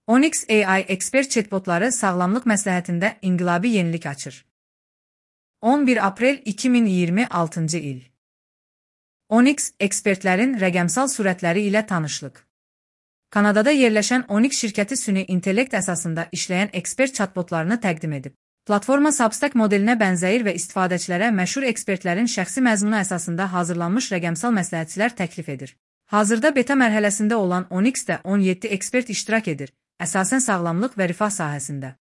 Onyx AI ekspert chatbotları sağlamlıq məsləhətində inqilabi yenilik açır. 11 aprel 2026 il. Onyx ekspertlərin rəqəmsal sürətləri ilə tanışlıq. Kanadada yerləşən Onyx şirkəti süni intellekt əsasında işləyən ekspert chatbotlarını təqdim edib. Platforma Substack modelinə bənzəyir və istifadəçilərə məşhur ekspertlərin şəxsi məzmunu əsasında hazırlanmış rəqəmsal məsləhətçilər təklif edir. Hazırda beta mərhələsində olan Onyx-də 17 ekspert iştirak edir, əsasən sağlamlıq və rifah sahəsində.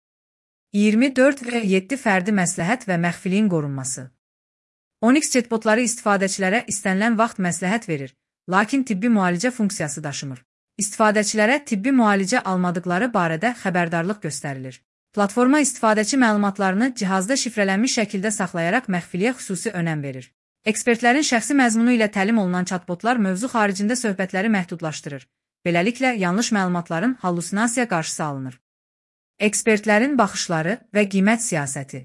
24 və 7 fərdi məsləhət və məxfiliyin qorunması. Onyx chatbotları istifadəçilərə istənilən vaxt məsləhət verir, lakin tibbi müalicə funksiyası daşımır. İstifadəçilərə tibbi müalicə almadıqları barədə xəbərdarlıq göstərilir. Platforma istifadəçi məlumatlarını cihazda şifrələnmiş şəkildə saxlayaraq məxfiliyə xüsusi önəm verir. Ekspertlərin şəxsi məzmunu ilə təlim olunan chatbotlar mövzu xaricində söhbətləri məhdudlaşdırır. Beləliklə, yanlış məlumatların hallusinasiya qarşısı alınır. Ekspertlərin baxışları və qiymət siyasəti.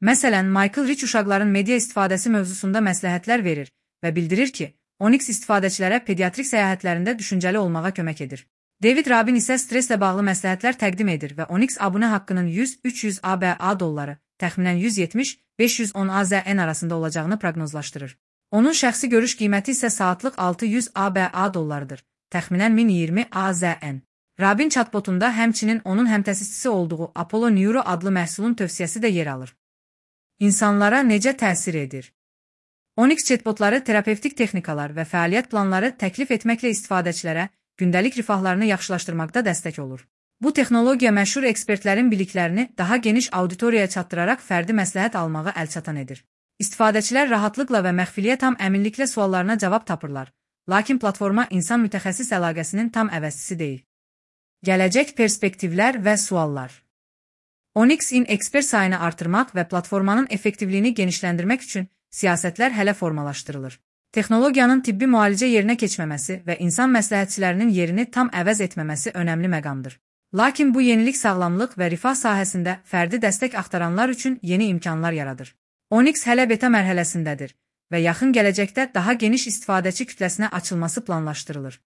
Məsələn, Michael Rich uşaqların media istifadəsi mövzusunda məsləhətlər verir və bildirir ki, Onyx istifadəçilərə pediatrik səyahətlərində düşüncəli olmağa kömək edir. David Rabin isə stresslə bağlı məsləhətlər təqdim edir və Onyx abunə haqqının 100-300 ABA dolları, təxminən 170-510 AZN arasında olacağını proqnozlaşdırır. Onun şəxsi görüş qiyməti isə saatlıq 600 ABA dollarıdır, təxminən 1020 AZN. Rabin chatbotunda həmçinin onun həmtəsisçisi olduğu Apollo Neuro adlı məhsulun tövsiyəsi də yer alır. İnsanlara necə təsir edir? Onyx chatbotları terapevtik texnikalar və fəaliyyət planları təklif etməklə istifadəçilərə gündəlik rifahlarını yaxşılaşdırmaqda dəstək olur. Bu texnologiya məşhur ekspertlərin biliklərini daha geniş auditoriyaya çatdıraraq fərdi məsləhət almağı əlçatan edir. İstifadəçilər rahatlıqla və məxfiliyə tam əminliklə suallarına cavab tapırlar, lakin platforma insan mütəxəssis əlaqəsinin tam əvəzçisi deyil. Gələcək perspektivlər və suallar. Onyx-in ekspert sayını artırmaq və platformanın effektivliyini genişləndirmək üçün siyasətlər hələ formalaşdırılır. Texnologiyanın tibbi müalicə yerinə keçməməsi və insan məsləhətçilərinin yerini tam əvəz etməməsi önəmli məqamdır. Lakin bu yenilik sağlamlıq və rifah sahəsində fərdi dəstək axtaranlar üçün yeni imkanlar yaradır. Onyx hələ beta mərhələsindədir və yaxın gələcəkdə daha geniş istifadəçi kütləsinə açılması planlaşdırılır.